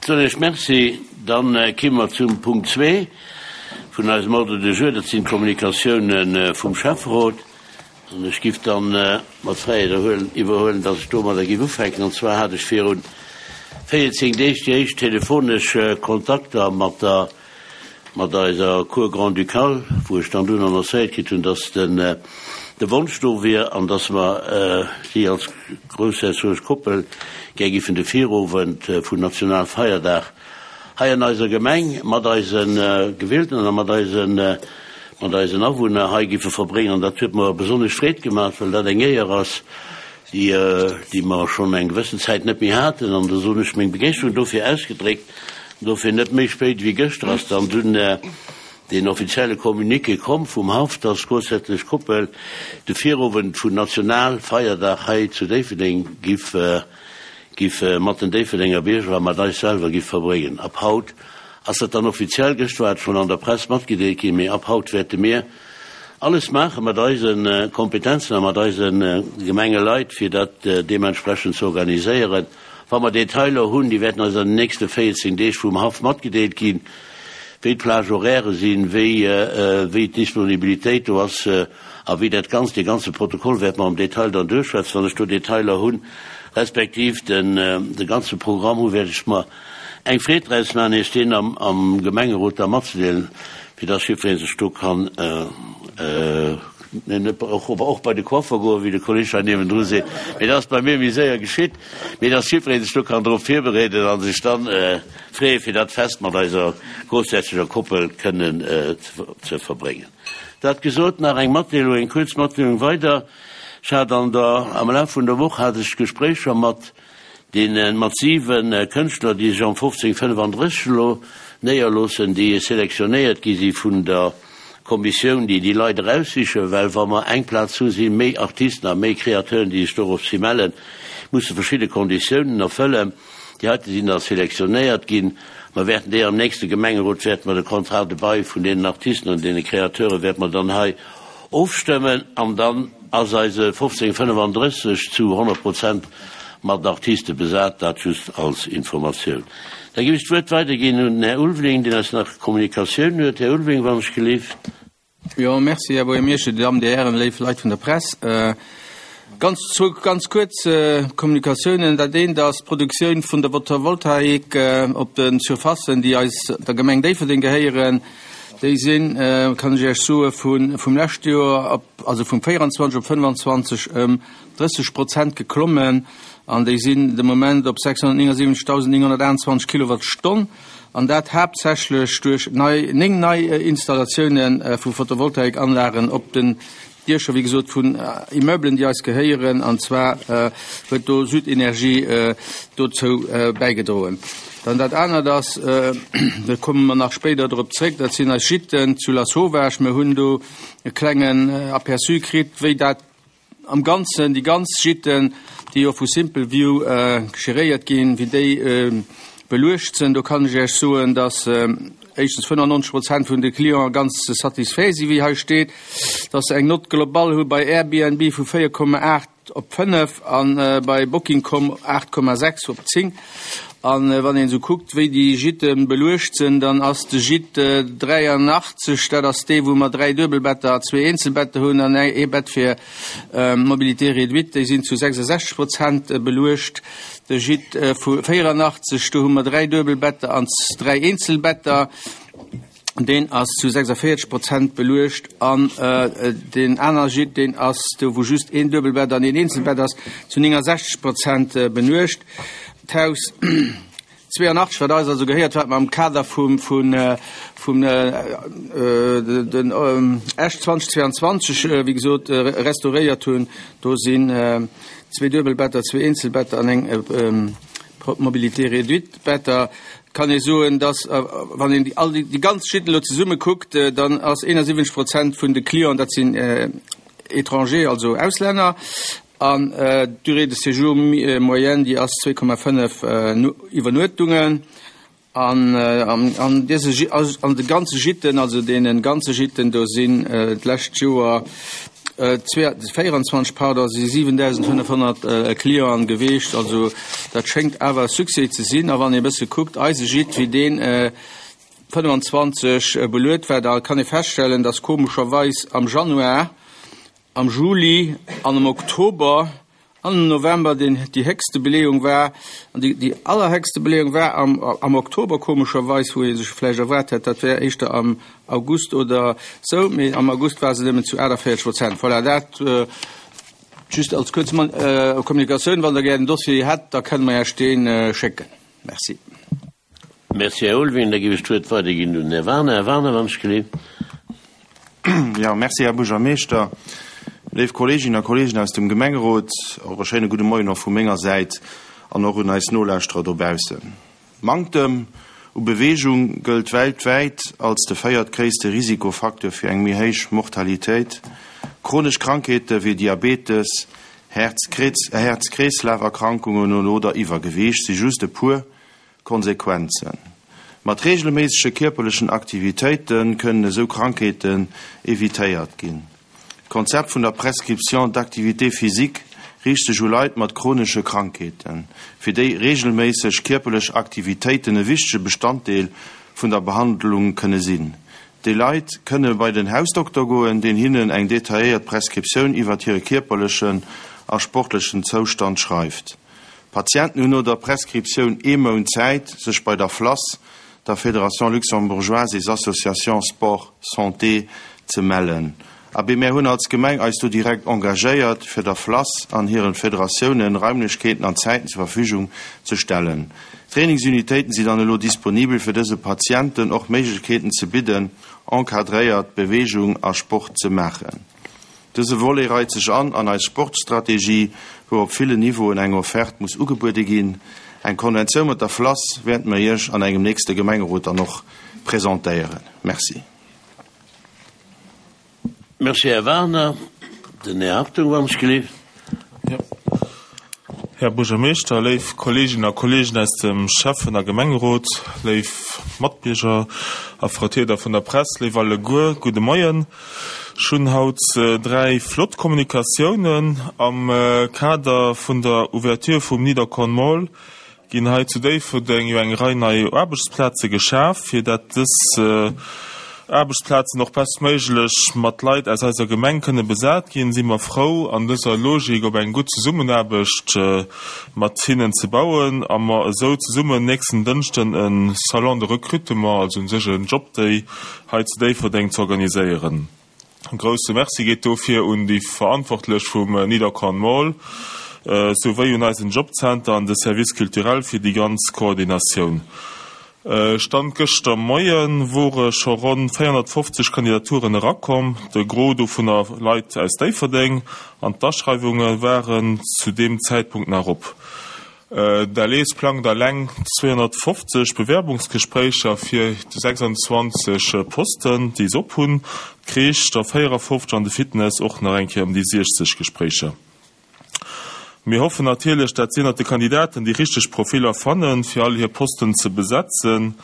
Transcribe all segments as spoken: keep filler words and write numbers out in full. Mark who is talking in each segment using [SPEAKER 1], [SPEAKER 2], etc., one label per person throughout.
[SPEAKER 1] Soen ech Merci. Dann komme mer zum Punkt zwee vun eisem Ordre du jour, dat sinn d'Kommunikatiounen vum Schäfferot. An ech giff dann mat Fräiheet erhuelen, iwwerhuelen, dass ech domadder giff ufänken. An zwar hat ech virun véierzéng Deeg déi éischt telefonesch Kontakter mat der, mat eiser Cour grand-ducale, wou ech dann dunn annoncéiert kritt hunn, dass den, de Wonsch do wier an dass mer si als groussherzoglech Koppel gär giffen de Virowend vun Nationalfeierdag hei an eiser Gemeng mat eise Gewieltenen a mat eisen, mat eisen Awunner hei giffe verbréngen. An dat huet mer besonnesch Freed gemaach, well dat eng Éier ass, déi, déi mer schonn eng gewëssen Zäit net méi haten. An da soen ech meng Begeeschterung dofir ausgedréckt. Dofir net méi spéit wéi gëschter ass dann dunn deen offizielle Communiqué komm vum Haff, dass d'groussherzoglech Koppel de Virowend vun Nationalfeierdag hei zu Déifferdeng giff, giff mat den Déifferdenger Bierger a mat eis selwer giff verbréngen. Ab haut ass dat dann offiziell, gëschter war et schonn an der Press matgedeelt ginn, mee ab haut wäerte mir alles maache mat eise Kompetenzen a mat eise Gemengeleit, fir dat deementsprechend ze organiséieren. Wa mer Detailer hunn, déi wäerten eis an den nächste véierzéng Deeg vum Haff matgedeelt ginn, wéi d'Plage horaire sinn, wéi, wéi d'Disponibilitéit do ass a wéi dat Ganzt, dee ganze Protokoll wäerte mer am Detail dann duerchschwätzen, wann ech do Detailer hunn, respektiv den, de ganze Programm hu wäert ech mer eng Freed draus maachen, Iech deen am, am Gemengerot da matzedeelen, fir dass jiddweree sech do kann, net och, och bei de Coiffer goen, wéi de Kolleg hei niewendru seet, mee dat ass bei mir méi séier geschitt, mee dass jiddweree sech do kann drop virbereeden a sech dann freeë fir dat Fest mat eiser groussherzoger Koppel kënnen ze verbréngen. Dat gesot, nach eng Matdeelung, eng kuerz Matdeelung weider. Ech hat an der, am Laf vun der Woch hat ech Gespréicher mat deene, mat siwe Kënschtler, déi sech am fofzéng fënnefandrësseg elo néierloossen, déi selektionéiert gi si vun der Kommissioun, déi déi Leit eraussichen, well wa mer eng Plaz hu si méi Artisten a méi Kreateuren, déi sech doropshi mellen, musse verschidde Konditiounen erfëllen. Déi heite sinn da selektionéiert ginn. Mer wäerten déi am nächste Gemengerot wäerte mer de Contrat de bail vun deenen Artisten an deene Kreateure wäerte mer dann hei ofstëmmen an dann ass eise fofzéng fënnefandrësseg zu honnert Prozent mat Artiste besat. Dat just als Informatioun. Da géif ech d'Wuert weiderginn un den Här Ulveling, deen eis nach Kommunikatioun huet. Här Ulveling, wann ech gelift.
[SPEAKER 2] Jo, merci, Här Buergermeeschter, Dir Dammen, Dir Hären, léif Leit vun der Press. Ganz, zwou ganz kuerz Kommunikatiounen. Dat eent ass d'Produktioun vun der Photovoltaik op de Surfacen, déi eis, der Gemeng Déifferdeng gehéieren. Déi sinn, kann ech Iech soen, vu vum leschte Joer op, also vum véieranzwanzeg op fënnefanzwanzeg ëm drësseg Prozent geklommen an déi sinn de Moment op sechshonnertnéngundsiwwenzegdausendnénghonnertachtundzwanzeg Kilowattstonn, an dat haaptsächlech duerch nei, néng nei Installatioune vu Photovoltaikanlagen op den Diecher, wéi gesot, vun Immeublen, déi eis gehéieren, an zwar huet do Südenergie dozou bäigedroen. Dann dat anert ass, do komme mer nach spéider drop zréck, dat sinn eis Gîten zu Lasauvage. Mir hunn do e klengen Aperçu kritt, wéi dat am Ganzen, déi ganz Gîten, déi jo vu Simple View geréiert ginn, wéi déi beluecht sinn. Do kann ech Iech soen, dass éischtens fënnefannonzeg Prozent vun de Clienten ganz satisfait sinn, wéi hei steet, dass se eng Note globale hu bei Airbnb vu véier Komma aacht op fënnef a bei Booking Punkt com aacht Komma sechs op zéng. An wann een esou kuckt, wéi déi Gîte beluecht sinn, dann ass de Gîte dräianachtzeg, dat ass dee wou mer dräi Duebelbetter a zwee Eenzelbetter hunn an ee Bett fir Mobilité réduite, déi sinn zu sechsasechzeg Prozent beluecht. De Gîte vu véieranachtzeg, do hu mer dräi Duebelbetter an dräi Eenzelbetter, deen ass zu sechsundvierzeg Prozent beluecht. An deen aner Gîte, deen ass do wou just een Duebelbett an een Eenzelbett ass, zu néngundsächzeg Prozent beluecht. D'Haus zweiundachtzeg, wat eis also gehéiert, wat mer am Kader vum, vun, vum, den Esch zweitausendzweiundzwanzeg, wéi gesot, restauréiert hunn, do sinn zwee Duebelbetter, zwee Eenzelbetter an eng Mobilité réduite Better. Kann ee soen, dass, wann een all déi, déi ganz Gîten elo zesumme kuckt, dann ass einundsiwwenzeg Prozent vun de Clienten, dat sinn Étrangers, also Auslänner, an d'Durée de séjour moyenne, déi ass zwee Komma fënnef Iwwernuechtungen. An, an dëse, an de ganze Gîten, also deene ganze Gîten, do sinn d'lescht Joer véierundzwanzeg, pardon, si siwendausendfënnefhonnert Clienten geweecht. Also dat schéngt awer e Succès ze sinn. A wann ee bësse kuckt, eise Gîte, wéi deen fënnefanzwanzeg beluet war, da kann ee feststellen, dass komescherweis am Januar, am Juli an am Oktober an am November den, déi héchste Beleeung war. An déi, déi allerhéchste Beleeung war am, am Oktober, komescherweis, wou ee sech vläicht erwaart hätt, dat wär éischter am August oder sou, mee am August war se nëmmen zu aachtavéierzeg Prozent. Voilà, dat just als kuerz Kommunikatioun. Wann Der gär den Dossier hätt, da kënne mer Iech dee schécken. Merci.
[SPEAKER 1] Merci, Här Ulwin. Da géif ech d'Wuert weiderginn un den Här Wagener. Här Wagener, wann ech geleeft.
[SPEAKER 3] Jo, merci, Här Buergermeeschter. Léif Kolleeginnen a Kolleegen aus dem Gemengerot, och e schéine gudde Moien och vu menger Säit an och un eis Nolauschterer dobaussen. Manktem u Beweegung gëllt weltwäit als de véiertgréisste Risikofacteur fir eng méi héich Mortalitéit. Chronesch Krankheete wéi Diabetes, Häerz-Kreeslaf-Erkrankungen oder Iwwergewiicht si just e puer Konsequenzen. Mat reegelméissege kierperlechen Aktivitéite kënnen esou Krankheeten evitéiert ginn. D'Konzept vun der Prescription d'activité physique riicht sech u Leit mat chronesche Krankheeten, fir déi reegelméisseg kierperlech Aktivitéiten e wichtege Bestanddeel vun der Behandlung kënne sinn. Déi Leit kënne bei den Hausdokter goen, deen hinnen eng detailléiert Prescriptioun iwwert hire kierperlechen a sportlechen Zoustand schreift. D'Patienten hunn no der Prescriptioun ee Mount Zäit, sech bei der FLASS, der Fédération luxembourgeoise des associations sport santé, ze mellen. Abee, mär hunn als Gemeng eis do direkt engagéiert, fir der FLASS an hiren Federatiounen Raimlechkeeten an Zäiten zur Verfügung ze stellen. Trainingsunitéiten si dann elo disponibel, fir dëse Patienten och Méiglechkeeten ze bidden, encadréiert Beweegung a Sport ze maachen. Dëse Volet reit sech an an eis Sportstrategie, wou op villen Niveauen eng Offerte muss ugebuede ginn. Eng Konventioun mat der FLASS wäerte mer Iech an engem nächste Gemengerot dann och presentéieren. Merci.
[SPEAKER 1] Merci, Här Wagener. Den Här Hartung, wann ech gelift.
[SPEAKER 4] Här Buergermeeschter, léif Kolleeginnen a Kolleegen aus dem Schäffen a Gemengerot, léif Matbierger a Vertrieder vun der Press, léif alleguer, gudde Moien. Ech hunn haut dräi flott Kommunikatiounen. Am Kader vun der Ouverture vum Niederkorn Mall ginn hei zu Déifferdeng jo eng Rei nei Aarbechtsplaze geschaf. Fir dat dës Aarbechtsplazen och bestméiglech mat Leit aus eiser Gemeng kënne besat ginn, si mer frou, an dëser Logik op eng gutt Zesummenaarbecht mat hinnen ze bauen a mer esou zesummen nächsten Dënschden e Salon de recrutement, also u sech en Jobday, hei zu Déifferdeng ze organiséieren. E grousse Merci geet dofir un déi Verantwortlech vum Niederkorn Mall, souwéi un eisen Jobcenter an de Service culturel fir déi ganz Koordinatioun. Stand gëschter Moie wore scho ronn véierhonnertfofzeg Kandidaturen erakomm, de Gros dovunner Leit aus Déifferdeng, an d'Aschreiwunge waren zu deem Zäitpunkt nach op. D'ALES plangt eleng zweehonnertfofzeg Bewerbungsgespréicher fir déi sechsundzwanzeg Posten, déi se op hunn, d'Crèche der véierafofzeg an de Fitness och nach eng Kéier ëm déi siechzeg Gespréicher. Mir hoffen natierlech, dat si ënnert de Kandidaten déi richteg Profiller fannen, fir all hir Posten ze besetzen.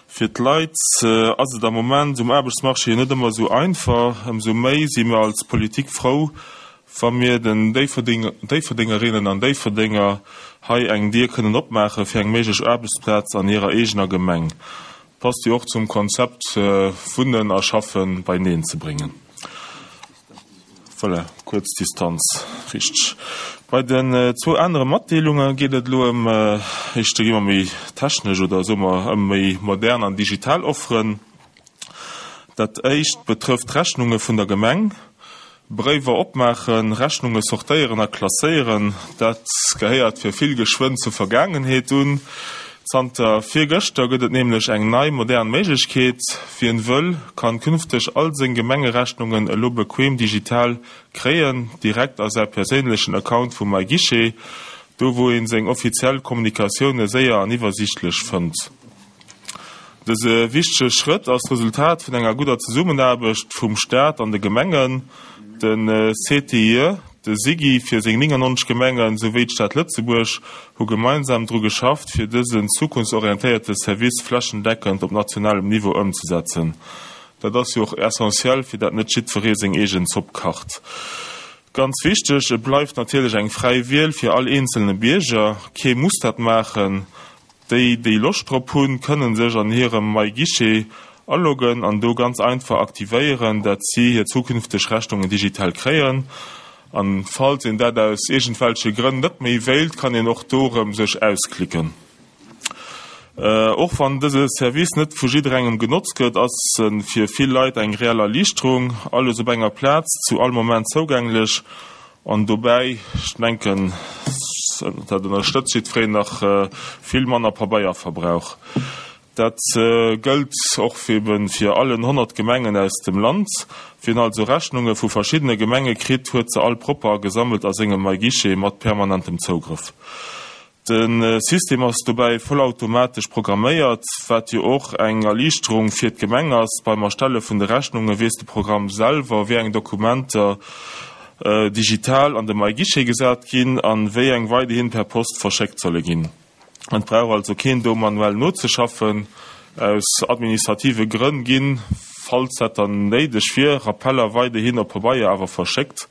[SPEAKER 4] Fir d'Leit ass et am Moment um Aarbechtsmarché net ëmmer esou einfach. Ëmsou méi si mir als Politik frou, wa mir den Déifferdengerinnen an Déifferdenger hei eng Dier kënnen opmaache fir eng méiglech Aarbechtsplaz an hirer eegener Gemeng. Passt jo och zum Konzept Wunnen a Schaffen beieneen ze bréngen. Voilà, kuerz Distanz, richteg. Bei den zwou anere Matdeelunge geet et elo ëm, éischter gi mer méi technesch oder soe mer ëm méi modern an digital Offeren. Dat éischt betrëfft d'Rechnunge vun der Gemeng. Bréiwer opmaachen, Rechnunge sortéieren a klasséieren, dat gehéiert fir vill geschwënn zur Vergaangenheet un. Zanter virgëschter gëtt et nämlech eng nei modern Méiglechkeet, Wien wëll, kann künfteg all seng Gemengerechnungen elo bequem digital kréien, direkt a säi perséinlechen Account vu MyGuichet, do wou een seng offiziell Kommunikatioune séier an iwwersiichtlech fënnt. Dëse wichtege Schrëtt ass d'Resultat vun enger gudder Zesummenaarbecht vum Staat an de Gemengen. De C T I E, de SIGI fir seng néngannonzeg Gemengen, souwéi d'Stad Lëtzebuerg hu gemeinsam dru geschafft, fir dësen zukunftsorientéierte Service flächendeckend op nationalem Niveau ëmzesetzen. Dat ass jo och essentiell, fir dat net jiddweree seng eegen Zopp kacht. Ganz wichteg, et bleift natierlech eng fräi Wiel fir all eenzelne Bierger. Kee muss dat maachen. Déi, déi Loscht drop hunn, kënnen sech an hirem MyGuichet aloggen an do ganz einfach aktivéieren, dat si hir zukünfteg Rechnungen digital kréien. An falls een dat aus iergendwelche Grënn net méi wéilt, kann een och do erëm sech ausklicken. Och wann dëse Service net vu jidderengem genotzt gëtt, ass e fir vill Leit eng reell Erliichterung, alles op enger Plaz, zu all Moment zougänglech an dobäi, ech denken, dat ënnerstëtzt jiddwereen, nach vill manner Pabeierverbrauch. Dat gëllt och eben fir allen honnert Gemengen aus dem Land. Wien also Rechnunge vu verschiddene Gemenge kritt, huet se all propper a gesammelt a sengem MyGuichet mat permanentem Zougrëff. De System ass dobäi vollautomatesch programméiert, wat jo och eng Erliichterung fir d'Gemeng ass. Beim Erstelle vun de Rechnunge weess de Programm selwer, wéi eng Dokumenter digital an de MyGuichet gesat ginn an wéi eng weiderhin per Post verschéckt solle ginn. Et brauch also keen do manuell nozeschaffen. Aus administrative Grënn ginn, falls dat dann néideg wier, Rappeller weiderhin op Pabeier awer verschéckt.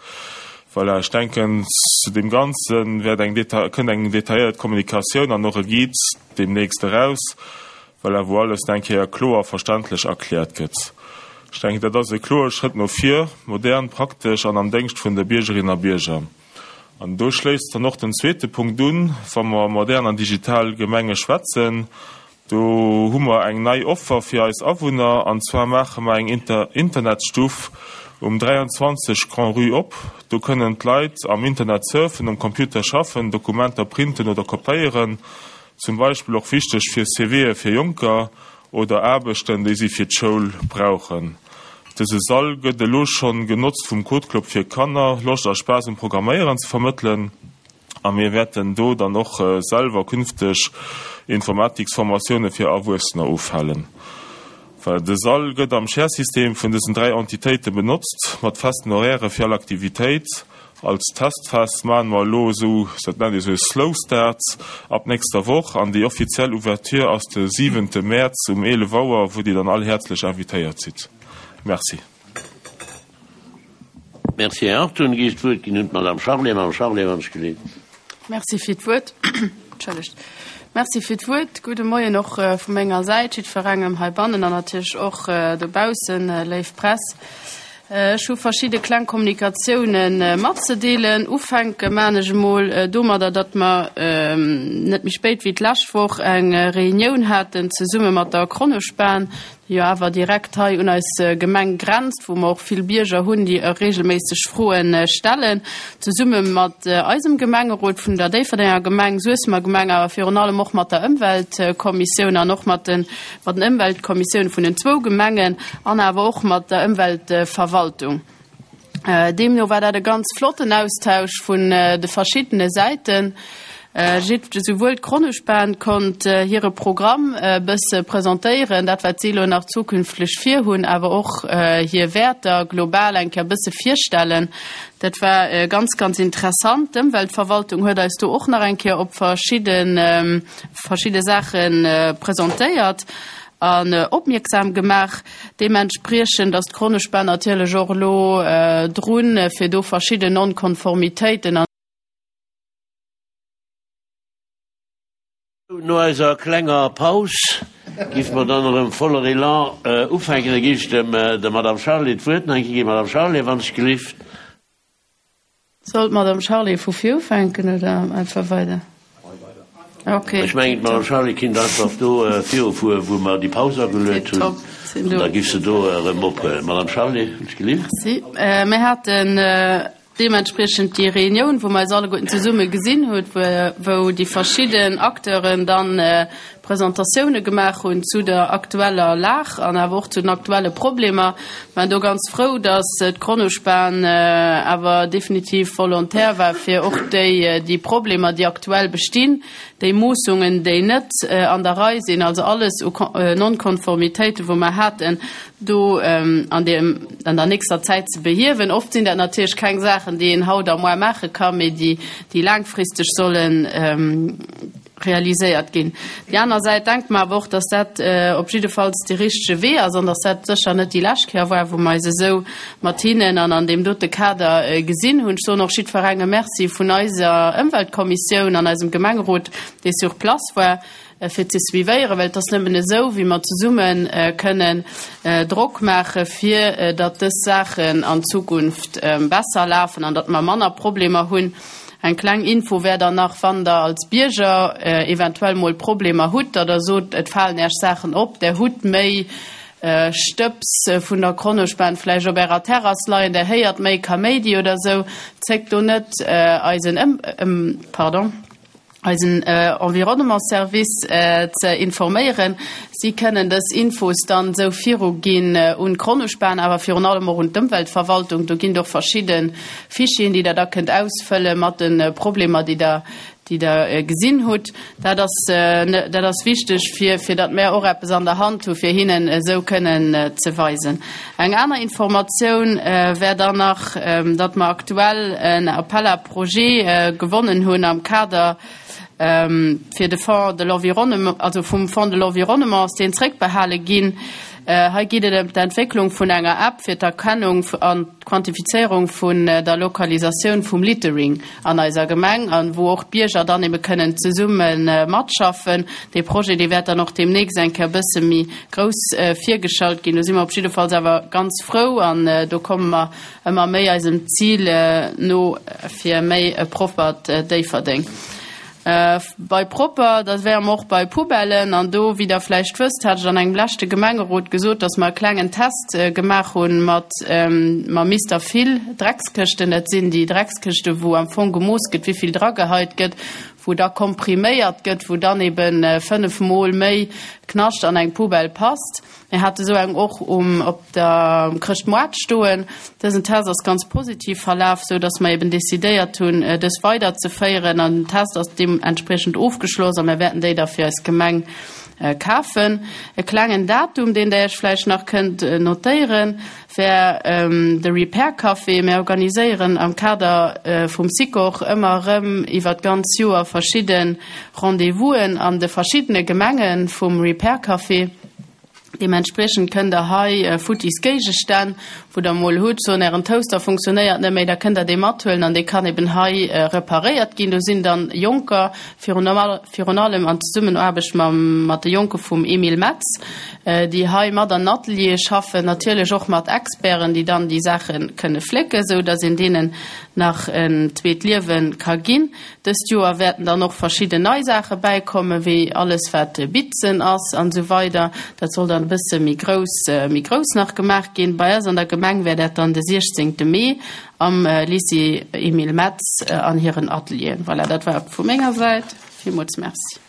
[SPEAKER 4] Voilà, ech denken, zu deem Ganze wäert eng kënnt eng detailléiert Kommunikatioun an och e Guide deemnächst eraus, voilà, wou alles nach eng Kéier kloer a verständlech erkläert gëtt. Ech denken, dat ass e kloere Schrëtt no vir, modern, praktesch an am Déngscht vun de Biergerinnen a Bierger. An do schléisst dann och den zweete Punkt un, wa mer modern an digital Gemenge schwätzen. Do hu mer eng nei Offer fir eis Awunner, an zwar maache mer eng Internetstuff um dräianzwanzeg Grand-Rue op. Do kënnen d'Leit am Internet surfen, um Computer schaffen, Dokumenter printen oder kopéieren. Zum Beispill och wichteg fir CVe fir Jonker oder Aarbechten, déi si fir d'Schoul brauchen. Dëse Sall gëtt elo schonn genotzt vum Code Club fir Kanner Loscht a Spaass um Programméieren ze vermëttelen a mir wäerten do dann och selwer künfteg Informatiksformatioune fir Erwuessener ofhalen. Well de Sall gëtt am Share-System vun dësen dräi Entitéite benotzt, mat festen Horairë fir all Aktivitéit. Als Testphas maache mer elo esou, dat nennt ee sou e Slow Start, ab nächster Woch an déi offiziell Ouverture ass de siwente Mäerz um eelef Auer, wou Dir dann all häerzlech invitéiert sidd. Merci.
[SPEAKER 1] Merci, Här Hartung. Gi ech d'Wuert ginn un d'Madame Charlé. Madame Charlé, wann ech geleet.
[SPEAKER 5] Merci fir d'Wuert. Entschëllegt. Merci fir d'Wuert. Gudde Moien och vu menger Säit jiddwerengem heibannen an natierlech och dobaussen, léif Press. Ech hu verschidde kleng Kommunikatiounen matzedeelen. Ufänke maan ech emol domadder, datt mer net méi spéit wéi d'lescht Woch eng Reunioun haten zesumme mat der Kronospan, déi jo awer direkt hei un eis Gemeng grenzt, wou mer och vill Bierger hunn, déi regelméisseg Froen stellen, zesumme mat eisem Gemengerot vun der Déifferdenger Gemeng, Suessemer Gemeng, awer virun allem och mat der Ëmweltkommissioun an och mat den mat den Ëmweltkommissioune vun den zwou Gemengen an awer och mat der Ëmweltverwaltung. Deemno war dat e ganz flotten Austausch vun de verschiddene Säiten. Souwuel d'Kronospan konnt hire Programm e bësse presentéieren, dat wat si elo nach zukünfteg virhunn, awer och hir Wäerter global eng Kéier e bësse virstellen. Dat war ganz, ganz interessant. D'Ëmweltverwaltung huet eis do och nach eng Kéier op verschidde verschidde Saache presentéiert an opmierksam gemaach. Deementspriechend ass d'Kronospan natierlech och elo drun, fir do verschidden Non-Konformitéiten an.
[SPEAKER 1] No eiser klenger Paus giffe mer dann erëm voller Elan ufänken. Da géif ech dem der Madame Charlé d'Wuert nach eng Kéier ginn. Madame Charlé, wann ech gelift.
[SPEAKER 5] Soll d'Madame Charlé vu vir ufänken oder einfach weider? Okay.
[SPEAKER 1] Ech mengen, d'Madame Charlé kinnt einfach do virufueren, wou mer déi Paus ageluet hunn.
[SPEAKER 5] Tipptopp, sinn do.
[SPEAKER 1] An da giff se do erëm ophuelen. Madame Charlé, wann ech gelift.
[SPEAKER 5] Merci. Mir haten Deementspriechend déi Reunioun, wou mer eis alleguerten zesumme gesinn hunn, wou déi verschidden Acteuren dann Presentatioune gemaach hunn zu der aktueller Lag an awer och zu den aktuelle Problemer. Mer waren do ganz frou, dass d'Kronospan awer definitiv volontaire war, fir och déi, déi Problemer, déi aktuell bestinn, déi Moossungen, déi net an der Rei sinn, also alles u Non-Konformitéiten, wou mer haten, do an deem, an der nächster Zäit ze behiewen. Oft sinn dat natierlech keng Saachen, déi een haut a moar maache ka, mee déi, déi laangfristeg sollen realiséiert ginn. Déi aner Säit denke mer awer och, dass dat op jiddefalls dee richtege Wee ass an dass dat sécher net déi lescht Kéier war, wou mer eis esou mat hinnen an an deem dote Kader gesinn hunn. Ech soen och jiddwerengem Merci vun eiser Ëmweltkommissioun an eisem Gemengerot, dee sur place war, fir ze suivéieren, well et ass nëmmen esou, wéi mer zesumme kënnen Drock maache fir datt dës Saachen an Zukunft besser lafen an datt mer manner Problemer hunn. Eng kleng Info wär dann nach, wann Der als Bierger eventuell mol Problemer hutt, datt Der sot, et falen Äech Saachen op, Der hutt méi Stëbs vun der Kronospan vläicht op Ärer Terrass leien, Der héiert méi Kaméidi oder esou, zéckt do net eisen Ëm, pardon, eisen Environnementsservice ze informéieren. Si kënnen dës Infos dann esou viruginn un d'Kronospan, awer virun allem och un d'Ëmweltverwaltung. Do ginn et och verschidde Fichieren, déi Der da kënnt ausfëlle mat de Problemer, déi Der, déi Der gesinn hutt. Dat ass, dat ass wichteg, fir, fir datt mär och eppes an der Hand hu fir hinnen esou kënnen ze weisen. Eng aner Informatioun wär dann nach, datt mer aktuell en Appel à projets gewonnen hunn am Kader fir de Fonds de l'environnement, also vum Fonds de l'environnement ass deen zréckbehale ginn. Hei geet et ëm d'Entwécklung vun enger App fir d'Erkennung an d'Quantifizéierung vun der Lokalisatioun vum Littering an eiser Gemeng an wou och d'Bierger dann ebe kënnen zesumme matschaffen. Dee Projet, dee wäert dann och deemnächst eng Kéier e bësse méi grouss virgeschalt ginn. Do si mer op jiddefalls awer ganz frou an do komme mer ëmmer méi eisem Zil no fir méi e proppert Déifferdeng. Bei propper, da wäre mer och bei Poubellen. An do, wéi Der vläicht wësst, hat ech an engem leschte Gemengerot gesot, dass mer e klengen Test gemaach hu mat mam Mister Fill Dreckskëschten. Dat sinn déi Dreckskëschten, wou am Fong gemooss gëtt, wéi vill drageheit gëtt, wou da kompriméiert gëtt, wou dann ebe fënnef Mol méi Knascht an eng Poubelle passt. Mir hate sou eng och um op der um Chrëschtmoart stoen. Dësen Test ass ganz positiv verlaf, sou datt mer eben decidéiert hunn, dës weiderzeféieren. An den Test ass deementspriechend ofgeschloss a mir wäerten déi da fir eis Gemeng kafen. E klengen Datum, deen Der Iech vläicht nach kënnt notéieren, wär de Repair Café. Mir organiséieren am Kader vum Sikor ëmmer erëm iwwer d'ganz Joer verschidde Rendez-vousen an de verschiddene Gemenge vum Repair Café. Deementspriechend kënnt der hei futtis Géigestänn, wou der mol hutt, soen, ären Toaster funktionéiert net méi, da kënnt der dee mathuelen an dee kann eben hei reparéiert ginn. Do sinn dann Jonker, virun virun allem an Zesummenaarbecht mam mat de Jonke vum Emile Metz, déi hei mat an Ateliere schaffen, natierlech och mat Experten, déi dann déi Saache kënne flécken, sou datt een deenen nach en zweet Liewe ka ginn. Dëst Joer wäerten dann och verschidden nei Saache bäikommen, wéi alles wat Bitzen ass an esou weider. Dat soll dann e bësse méi grouss, méi grouss nach gemaach ginn. Bei eis an der Gemeng wär dat dann de siechzéngte Mee am Lycée Emile Metz an hiren Atelieren. Voilà, dat war et vu menger Säit. Villmools Merci.